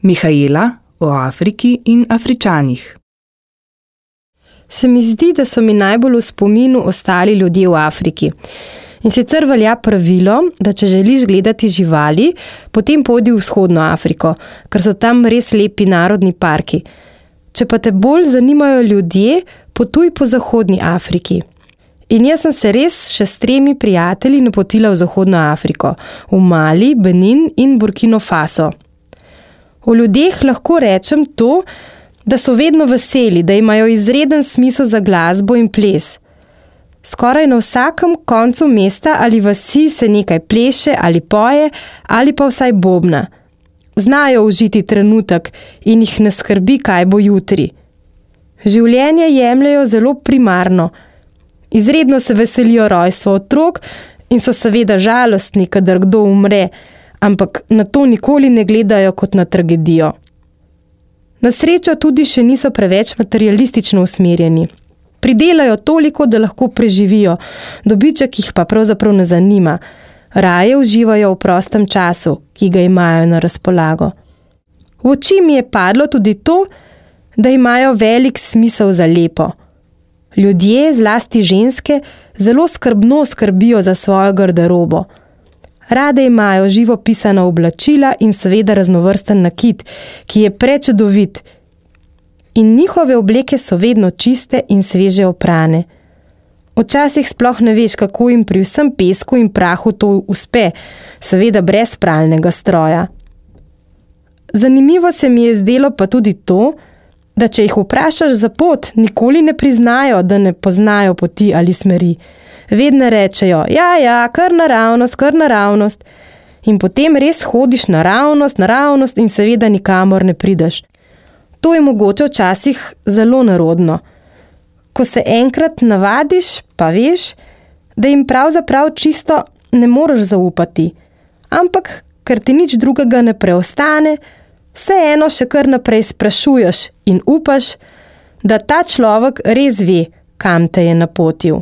Mihaela o Afriki in Afričanih. Se mi zdi, da so mi najbolj v spominu ostali ljudje v Afriki. In sicer velja pravilo, da če želiš gledati živali, potem pojdi v vzhodno Afriko, ker so tam res lepi narodni parki. Če pa te bolj zanimajo ljudje, potuj po zahodni Afriki. In jaz sem se res še s 3 prijatelji napotila v zahodno Afriko, v Mali, Benin in Burkino Faso. O ljudeh lahko rečem to, da so vedno veseli, da imajo izreden smisel za glasbo in ples. Skoraj na vsakem koncu mesta ali vasi se nekaj pleše ali poje ali pa vsaj bobna. Znajo užiti trenutek in jih ne skrbi, kaj bo jutri. Življenje jemljajo zelo primarno. Izredno se veselijo rojstva otrok in so seveda žalostni, kadar kdo umre, ampak na to nikoli ne gledajo kot na tragedijo. Na srečo tudi še niso preveč materialistično usmerjeni. Pridelajo toliko, da lahko preživijo, dobiček jih pa pravzaprav ne zanima. Raje uživajo v prostem času, ki ga imajo na razpolago. V oči mi je padlo tudi to, da imajo velik smisel za lepo. Ljudje, zlasti ženske, zelo skrbno skrbijo za svojo garderobo. Rade imajo živopisana oblačila in seveda raznovrsten nakit, ki je prečudovit. In njihove obleke so vedno čiste in sveže oprane. Včasih sploh ne veš, kako jim pri vsem pesku in prahu to uspe, seveda brez pralnega stroja. Zanimivo se mi je zdelo pa tudi to, da če jih vprašaš za pot, nikoli ne priznajo, da ne poznajo poti ali smeri. Vedno rečejo, ja, kar naravnost. In potem res hodiš naravnost in seveda nikamor ne prideš. To je mogoče včasih zelo nerodno. Ko se enkrat navadiš, pa veš, da jim pravzaprav čisto ne moreš zaupati. Ampak, ker ti nič drugega ne preostane, vseeno še kar naprej sprašuješ in upaš, da ta človek res ve, kam te je napotil.